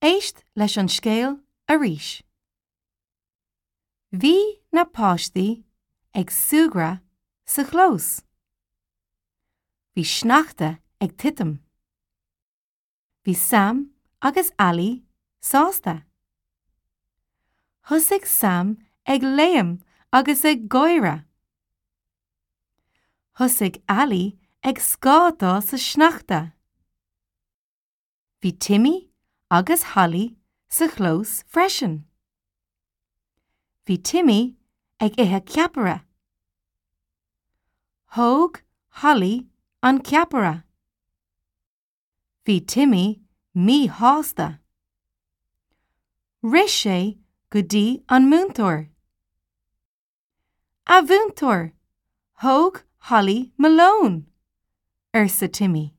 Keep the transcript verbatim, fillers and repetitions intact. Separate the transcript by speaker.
Speaker 1: Éist leis an scéal arís. Bhí na páistí ag súgradh sa chlós. Bhí sneachta ag titim. Bhí Sam agus Ali sásta. Thosaigh Sam ag léim agus ag gáire. Thosaigh Ali ag scátáil sa sneachta. Bhí Timmy agus Holly sa chlós freisin. Bhí Timmy ag ithe ceapaire. Thóg Holly an ceapaire. Bhí Timmy míshásta. Rith sé go dtí an múinteoir. A mhúinteoir, thóg Holly mo lón, arsa Timmy.